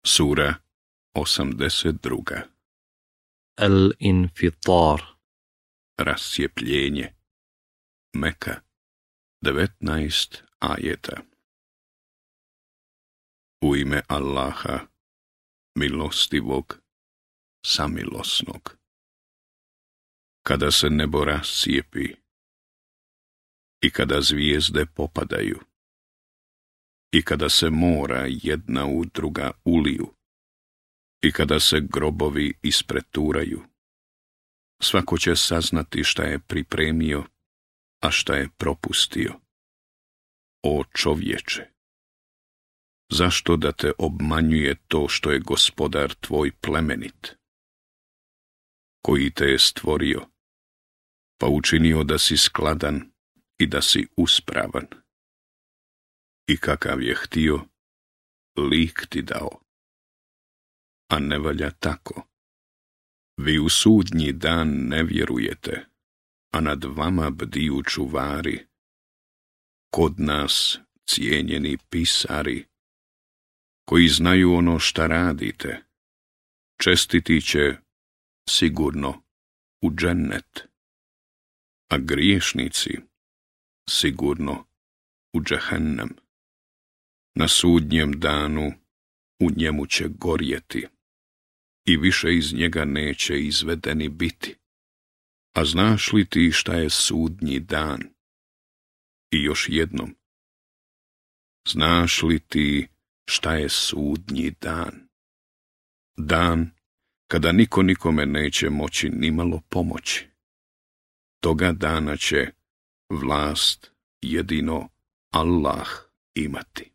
Sura 82. Al-Infitar. Rascijepljenje. Meka. 19 ajeta. U ime Allaha, milostivog, samilosnog. Kada se nebo rascijepi i kada zvijezde popadaju i kada se mora jedna u druga uliju i kada se grobovi ispreturaju, svako će saznati šta je pripremio, a šta je propustio. O čovječe, zašto da te obmanjuje to što je Gospodar tvoj plemenit, koji te je stvorio, pa učinio da si skladan i da si uspravan. I kakav je htio, lik ti dao. A ne valja tako. Vi u sudnji dan ne vjerujete, a nad vama bdiju čuvari. Kod nas cijenjeni pisari, koji znaju ono šta radite, čestiti će sigurno u džennet, a griješnici sigurno u džehennem. Na sudnjem danu u njemu će gorjeti i više iz njega neće izvedeni biti. A znaš li ti šta je sudnji dan? I još jednom, znaš li ti šta je sudnji dan? Dan kada niko nikome neće moći nimalo pomoći. Toga dana će vlast jedino Allah imati.